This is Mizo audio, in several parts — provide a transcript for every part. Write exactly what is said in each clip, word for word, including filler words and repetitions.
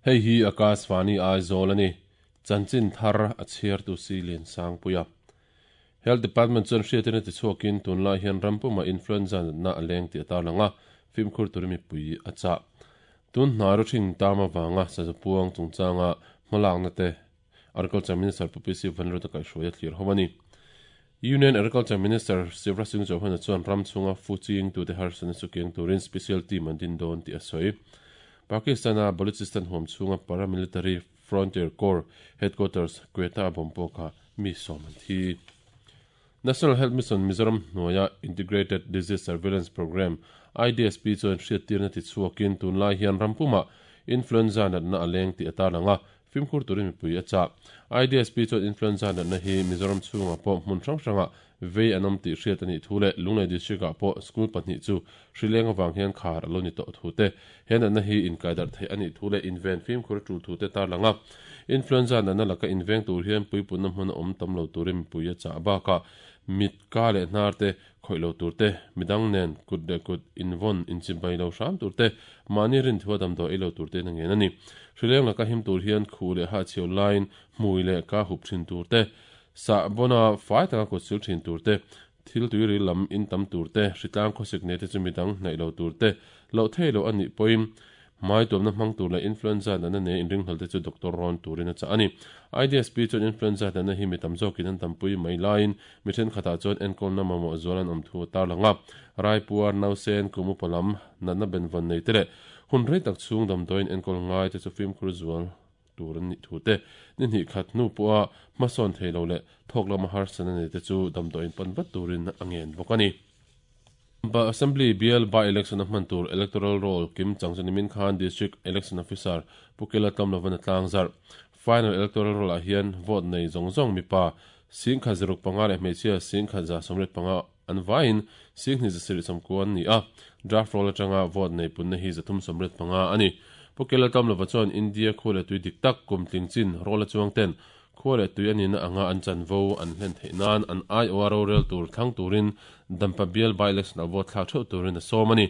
Hei hi Akashvani Aizawl ani. Chanchin thar a chhiar tu si lian sang puia. Health Department chuan hriatin ti chhuakin tunlai hian rampuma influenza na aleng ti atarlanga fimkhur turimi pui a cha. Tun hna ro thing tama wanga sazapuang chungchanga hmalak na te Agriculture Minister P P C Vanro ta kai hruaia thlir howani. Union Agriculture Minister Shivraj Singh Chauhan chuan ram chunga fuching tu te harsan chu keng turin special team an din don ti a sawi. Pakistana Balochistan hom chunga paramilitary Frontier Corps headquarters Quetta bompo kha mi som an thi. National Health Mission Mizoram hnuaia Integrated Disease Surveillance Program I D S P chuan hriat na ti chhuakin tunlai hian rampuma influenza natna aleng ti atarlanga fimkhur turin mipui a cha. I D S P chuan influenza natna hi Mizoram chhunga pawh hmun hrang hranga vei an awm tih hriat ani thu leh Lunglei district ah pawh school pahnih chu hrileng awang hian khar alo ni tawh thu te he natna hi inkaidar thei ani thu leh inven fimkhur tul thu te tarlanga influenza natna laka inveng tur hian puipunna hmun a awm tam lo turin mipui a cha baka mit ka leh hnar te khawih lo tur te midang nen kut leh kut invon inchibai lo hram tur te mahni rin thua damdawi ei lo tur te na ngen ani. Hrileng laka him tur hian khu leh ha chheu lain hmui leh ka hup thin tur te sa bona fai taka kut sil thin tur te thil tui ri lam in tam tur te hritlang khawsik ne te chu midang hnaih lo tur te lo thei lo ani poim mai tuamna hmang tur leh influenza natna ne inring hlal te chu doctor rawn turin a cha ani. I D S P chuan influenza natna hi mi tam zawkin an tampui mai laiin mi thenkhatah chuan enkawlna mamawh zual an awm thu tarlanga Raipur nausen kumu palam natna benvawn nei te leh hun rei tak chhung damdawiin enkawl ngai te chu fimkhur zual tur an nih thu te ni hnih khat hnu pawha hmasawn thei lo leh thawk lama harsana nei te chu damdawiin pan vat turin a ngen bawk ani. Ba Assembly B L by election a hman tur electoral roll kim chang chu nimin khan district election officer Pukela Tlamlovan a tlang zar. Final electoral roll ah hian vote nei zawng zawng mipa sing kha ziruk panga leh hmeichhia sing kha za sawmriat panga an vaiin sing hnih za sarih sawmkua an ni a. Draft roll atanga vote nei punna hi zathum sawmriat panga ani. Pukela Tlamlova chuan India khu leh tui dik tak kum tling chin roll a chuang ten khu leh tui ani na anga an chanvo an hlen theih nan an I O R O rel tur thlang turin dampa B L by election a vote thlak theuh turin a sawm ani.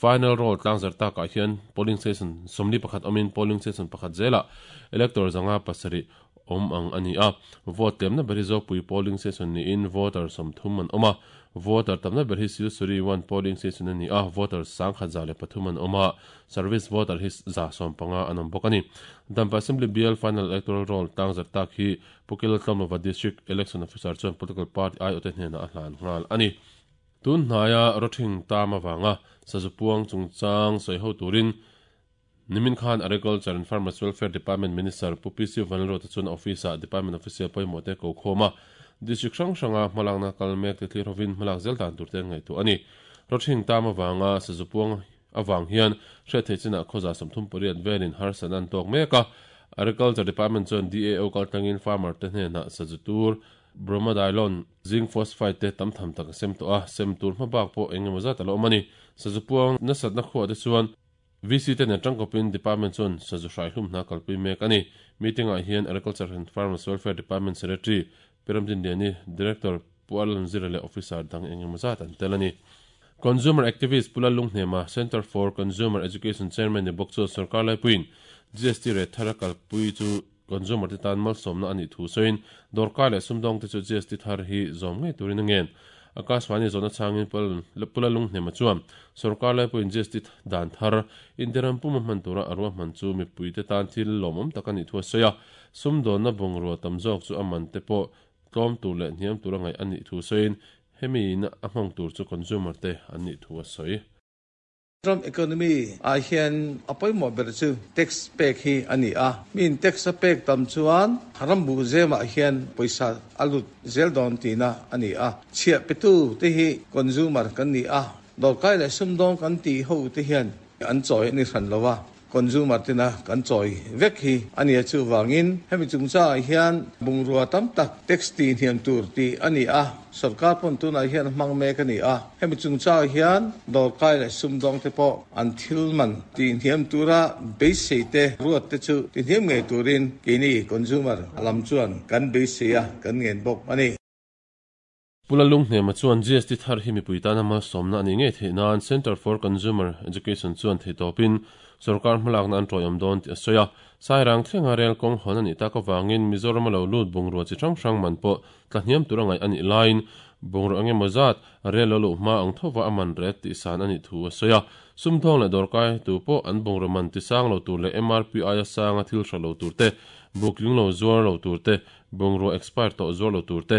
Final roll tlang zar takah hian polling station sawmli pakhat awmin polling station pakhat zela elector zanga pasarih awm ang ani a. Vote tlemna ber hi Zopui polling station niin voter sawmthum an awm a. Voter tamna ber hi Silsuri one polling station ani a. Voter sang khat za leh pathum an awm a. Service voter hi za sawm panga an awm bawk ani. Dampa Assembly B L final electoral roll tlang zar tak hi Pukela Tlamlova district election officer chuan political party I O te hnenah a hlan nghal ani. Tun hnaia rothing tama wanga sazupuang chungchang sawi ho turin nimin khan Agriculture and Farmers Welfare Department Minister P P C Vanlalruata chuan office ah department official pawimawh te ko khawma district hrang hranga hmalakna kalmek te thlir hovin hmalak zel dan tur te an ngaihtuah ani. Rothing tama wanga sazupuang awang hian hriat thei chinah khawza sawmthum pariat velin harsan an tawk mek a. Agriculture Department chuan D A O kaltlangin farmer te hnenah sazu tur bromadiolone zinc phosphide te tam tham tak a sem tawh a sem tur hmabak pawh engemaw zat a lo awm ani. Sazupuang nasat na khuah te chuan V C te nen tangkawpin department chuan sazu hrai hlum hna kalpui mek ani. Meeting ah hian Agriculture and Farmers Welfare Department Secretary Piramdin Liani Director Pualan Zira leh officer dang engemaw zat an tel ani. Consumer activist Pula Lunghnema Center for Consumer Education Chairman ni bawk chu sarkar laipuiin G S T re thar a kalpui chu consumer te tan malsawmna ani thu sawiin dawrkai leh sumdawng te chu G S T thar hi zawm ngei turin a ngen. Akashvani zawna changin Pula Lunghnema chuan sarkar laipuiin G S T dan thar India ram puma hman tura a ruah hman chu mipui te tan thil lawmawm tak ani thu a sawi a. Sumdawnna bungrua tam zawk chu a man te pawh tlawm tur leh hniam tur a ngaih ani thu sawiin hemi in a hmang tur chu consumer te an nih thu a sawi. Ram economy ah hian a pawimawh ber chu tax pek hi ani a. Min tax a pek tam chuan ram bu zemah hian pawisa a lut zel dawn tina ani a. Chhiah petu te hi consumer kan ni a. Dawrkai leh sumdawng kan ti ho te hian an chawi ani hran lova. Consumer tina kan chawi vek hi ani a chu wangin hemi chungcha hian bungrua tam tak tax ti hniam tur ti ani a. Sarkar pon tunah hian hmang mek ani a. Hemi chungcha hian dawrkai leh sumdawng te pawh an thil man ti hniam tura beisei te ruat te chu ti hniam ngei turin keini consumer lam chuan kan beisei a kan ngen bawk ani. Pulalung hnema chuan G S T thar hi mipui tana malsawmna ani ngei theih nan Center for Consumer Education chuan theitawpin sarkar hmalakna an tawih awm dawn tih a sawi a. Sairang thlenga rel kawng hawn ani tak awangin Mizoram lo lut bungrua chi hrang hrang man pawh tlahniam tur angai ani lain bungrua engemaw zat rel lo luh hma ang thova aman ret tih san ani thu a sawi a. Sumthawng leh dawrkai tu pawh an bungrua man ti sang lo tur leh M R P I a sanga thil hra lo tur te booking lo zuar lo tur te bungrua expire tawh zuar lo tur te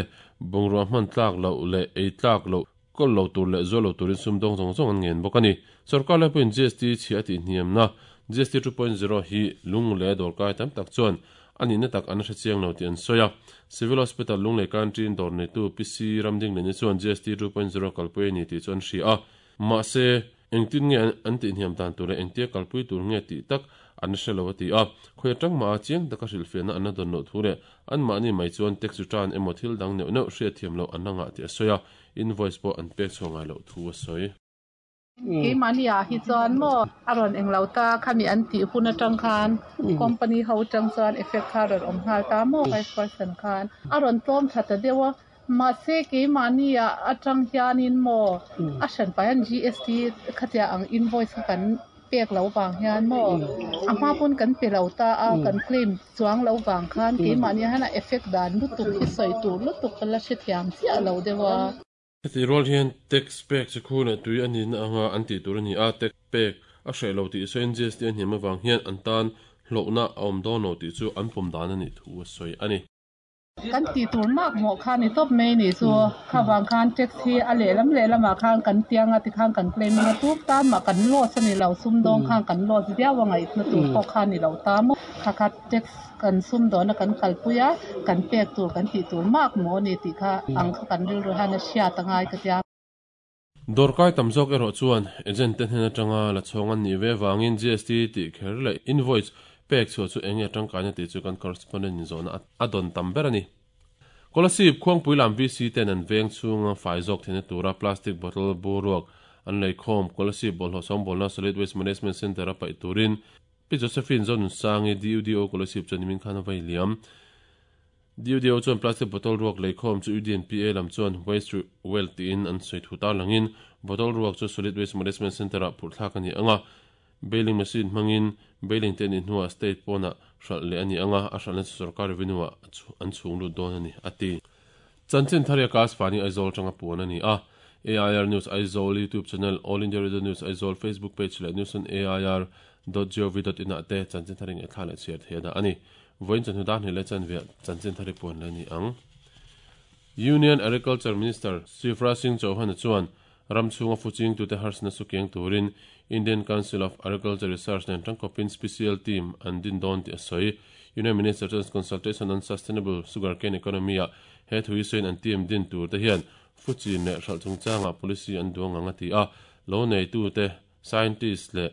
bungrua hman tlak lo leh ei tlak lo kol lo tur leh zuar lo turin sumdawng zawng zawng an ngen bawk ani. Sarkar lai pawhin G S T chhi a tih hniamna G S T two point zero hi lung leh dawrkai tam tak chuan ani na tak an hre chiang lo tih an sawi a. Civil Hospital Lunglei Country dawr neitu P C Ramding leni chuan G S T two point zero kalpui ani tih chu an hria a. Mahse engtin nge an tih hniam dan tur leh engtia kalpui tur nge tih tak an hre lo a ti a. Khawi atang ma a chiang taka hrilhfiahna an la dawn loh thu leh an mahni mai chuan tax return emaw thil dang neuh neuh hriat thiam loh an la ngah tih a sawi a. Invoice pawh an pek chhuah ngai loh thu a sawi. Keimahni ah hi chuan maw a rawn englo ta khami an tih hun atang khan company ho tang chuan effect kha rawn awm nghal ta maw five percent khan a rawn tlawm tha ta deuh a. Mahse keimahni ah atang hianin maw a hran pai an G S T khatia ang invoice kha kan pek lo wang hian maw a hma pawn kan pe lo ta a kan claim chuang lo wang khan keimahni hian a effect dan lutuk hi sawi tur lutuk ka la hre thiam chiah lo deuh a. Heti rual hian tax pek chi khu leh tui ani na anga an tih tur ani a. Tax pek a hreh lo tih sawiin G S T a hniam awang hian an tan hlawhna a awm dawn lo tih chu an pawm dan ani thu a sawi ani. Kan ti tur mak maw khan ni tawp mai ni chu kha wang khan tax hi a leh lam leh lamah khan kan tianga ti khan kan claim anga tu tan mah kan loss ani lo sumdawng khan kan loss viau angai na tur pawh khan ni lo ta maw kha kha tax kan sumdawna kan kalpui a kan pek tur kan tih tur mak maw ni tih kha ang kha kan rilru hian a hriat angai ka tia. Dawrkai tam zawk erawh chuan agent te hnen atanga la chhawng an nih ve wangin G S T tih kher leh invoice pek chhuah chu enge tangkaina tih chu kan correspondent in zawhna a dawn tam ber ani. Kolasib khuangpui lam V C ten an veng chhunga fai zawk theihna tura plastic bottle boruak an lei khawm Kolasib bawlhhlawh sawngbawl Solid Waste Management Center a paih turin Pi Josephine Zonun Sangi D U D O Kolasib chuan nimin khan a vai liam. D U D O chuan plastic bottle ruak lei khawm chu U D N P A lam chuan waste wealth tiin an sawi thu tar langin bottle ruak chu Solid Waste Management Center a phurh thlak ani anga. Bailing machine hmangin bailing te ni hnuah state pawna hral leh ani anga a hralna chu sarkar revenue ah an chhung lut dawn ani ati. Chanchin tharia kas fani Aizawl tanga puan ani a. A I R News Aizawl YouTube channel, All India Radio News Aizawl Facebook page leh news on A I R dot gov dot in ah te chanchin tharing e thla leh chhiar theih da ani. Voin chan hudan hi le chan ve chanchin thari puan le ni ang. Union Agriculture Minister Shivraj Singh Chauhan chuan ramchhunga fuching tute harsna sukiang turin Indian Council of Agriculture Research nen tangkopin special team an din dawn ti a sawi. Union Minister chuan consultation on sustainable sugarcane economy a he thui sawiin an team din tur te hian fuchin leh hral chungchanga policy an duang anga ti a. Lo nei tu te scientist leh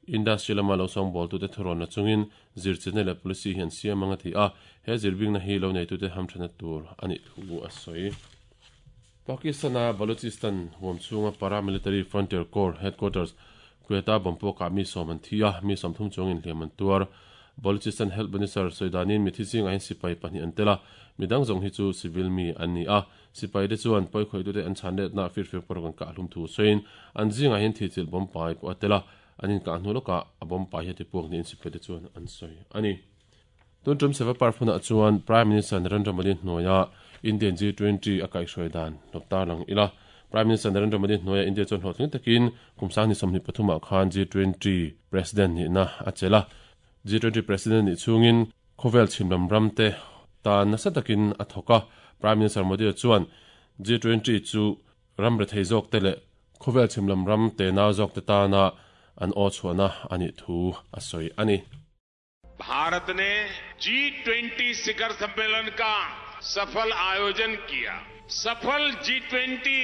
industry lama lo sawngbawl tu te thurawna chungin zirchina leh policy hian siam anga ti a. He zirbingna hi lo nei tu te hamthana tur ani thu a sawi. Pakistana Balochistan huam chhunga paramilitary frontier corps headquarters Quetta bompo ka mi som an thia mi som thum chungin hliam an tuar. Balochistan Health Minister Soidanin mi thi ching a hin sipai pahnih an tela midang zawng hi chu civil mi an ni a. Sipai te chuan pawi khawih tute an chhan let na fir fir por kan ka hlum thu sawiin an zinga hin thi chil bom pai pawh a tela an in ka hnu lawkah a bom pai hi ti puak niin sipai te chuan an sawi ani. Tun tum seva parphuna chuan Prime Minister Narendra Modi hnuaia Indian G twenty a kaihhruai dan lawp lang ila. Prime Minister Narendra Modi hnuaia India chuan hlawhtling takin kum sang ni sawmhnih pathumah khan G twenty President ni na a chela. G twenty President ni chungin khawvel chhimlam ram te ta nasa takin a thawk a. Prime Minister Modi chuan G twenty chu ram re thei zawk te leh khawvel chhimlam ram te nau zawk te tana an aw chhuahna ani thu a sawi ani. Bharat ने G twenty शिखर सम्मेलन का सफल आयोजन किया। सफल G twenty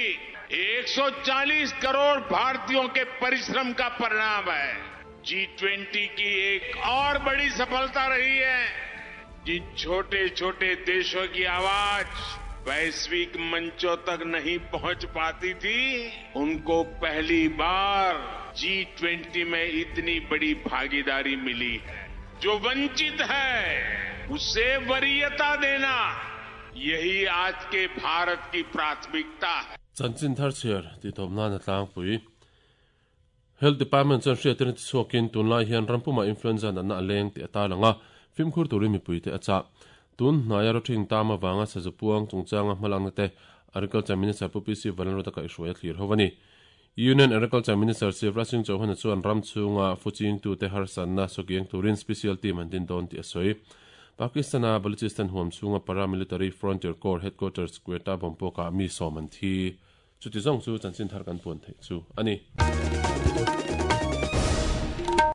एक सौ चालीस करोड़ भारतीयों के परिश्रम का परिणाम है। जी ट्वेंटी की एक और बड़ी सफलता रही है जिन छोटे छोटे देशों की आवाज वैश्विक मंचों तक नहीं पहुंच पाती थी, उनको पहली बार जी ट्वेंटी में इतनी बड़ी भागीदारी मिली है। जो वंचित है उसे वरीयता देना यही आज के भारत की प्राथमिकता है। Chanchin thar chhiar ti tawp nan a tlangpui. Health Department chuan hriattirna ti chhuakin tunlai hian rampuma influenza natna a leng tih a tarlang a, fimkhur turin mipui te a chah. Tun hnaia rawthing tam avanga sazu puang chungchanga hmalakna te Agriculture Minister Pu P C Vanlalruata kaihhruai a thlir ho a ni. Union Agriculture Minister Shivraj Singh Chauhan chuan ram chhunga fuching tu te harsanna sawkiang turin special team an din dawn tih a sawi. Pakistan-a Balochistan huam chhunga Paramilitary Frontier Corps Headquarters Quetta bomb pawkah mi sawm an thi. Chuti zawng chu chanchin thar kan puan theih chu a ni.